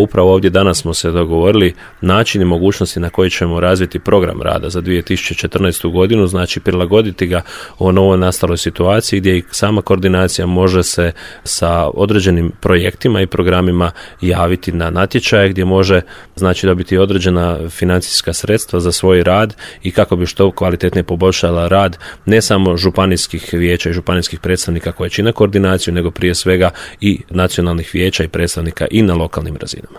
upravo ovdje danas smo se dogovorili način i mogućnosti na koji ćemo razviti program rada za 2014. godinu, znači prilagoditi ga o novo nastaloj situaciji gdje i sama koordinacija može se sa određenim projektima i programima javiti na natječaje gdje može znači dobiti određena financijska sredstva za svoj rad i kako bi što kvalitetnije poboljšala rad ne samo županijskih vijeća i županijskih predstavnika koje čine koordinaciju, nego prije svega i nacionalnih vijeća i predstavnika i na lokalnim razinama.